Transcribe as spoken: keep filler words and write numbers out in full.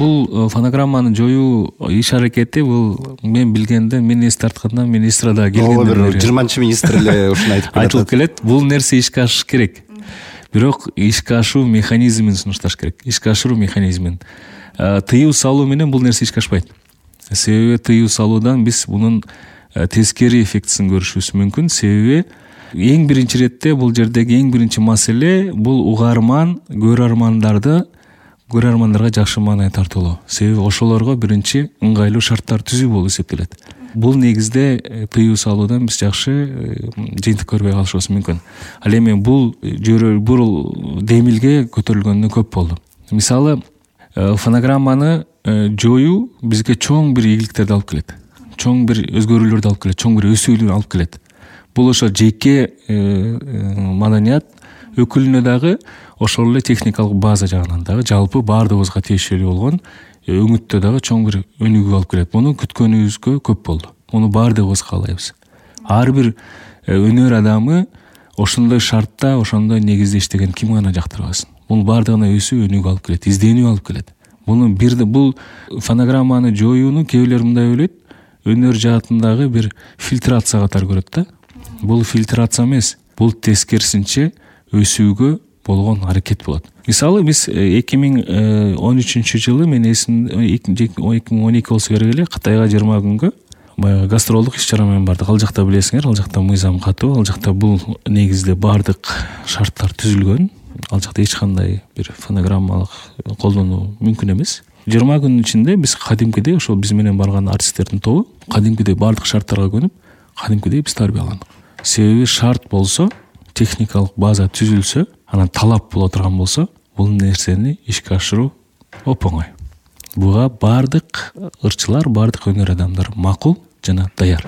бул фонограмманы жоюу иш аракети бул мен билгенде мен эс тартканда министрда келгенде бир жыйырманчы министр эле ушуну айтып келет. Айтылып келет. Бул нерсе ишке ашыш керек. Бирок ишке ашуу механизмин сунушташ керек. Ишке ашыруу механизмин. Тыюу салуу менен бул нерсе ишке ашпайт. Себеби тыюу салуудан биз мунун тескери эффектисин көрүшүбүз мүмкүн. Себеби эң биринчи иретте бул жердеги эң биринчи маселе бул угарман, көрөрмандарды көрөрмандарга жакшы маанай тартуулоо. Себеби ошолорго биринчи ыңгайлуу шарттар түзүү болуп эсептелет. Бул негизде тыюу салуудан биз жакшы жыйынтык көрбөй калышыбыз мүмкүн. Ал эми бул жөрө бул демилге көтөрүлгөнү көп болду. Мисалы, фонограмманы жоюу бизге чоң бир ийгиликтерди алып келет. Чоң бир өзгөрүүлөрдү алып келет, чоң бир өсүүлү алып келет. Бул ошо жеке маданият өкүлүнө дагы, ошол эле техникалык база жагынан дагы жалпы баардыгыбызга тиешелүү болгон өңүттө дагы чоң бир өнүгүү алып келет. Муну күткөнүбүзгө көп болду. Муну баардыгыбыз каалайбыз. Ар бир өнөр адамы ошондой шартта, ошондой негизде иштеген ким гана жактырбасын. Бул баардыгына өсүү, өнүгүү алып келет, изденүү алып келет. Муну бирде бул фонограмманы жоюуну кээбилер мындай ойлойт, өнөр жаатындагы бир фильтрация катары көрөт да. Бул фильтрация эмес, бул тескерисинче өсүүгө болгон аракет болот. Мисалы, биз эки миң он үчүнчү жылы мен эсим эки миң он эки болсо керек эле, Кытайга жыйырма күнгө баягы гастролдук иш-чара менен бардык. Ал жакта билесиңер, ал жакта мыйзам катуу, ал жакта бул негизде баардык шарттар түзүлгөн. Ал жакта эч кандай бир фонограммалык колдонуу мүмкүн эмес. жыйырма күнүн ичинде биз кадимкидей, ошол биз менен барган артисттердин тобу кадимкидей баардык шарттарга көнүп, кадимкидей биз тарбияландык. Себеби шарт болсо, техникалык база түзүлсө, анан талап боло турган болсо, бул нерсени ишке ашыруу оп-оңой. Буга баардык ырчылар, баардык өнөр адамдары макул жана даяр.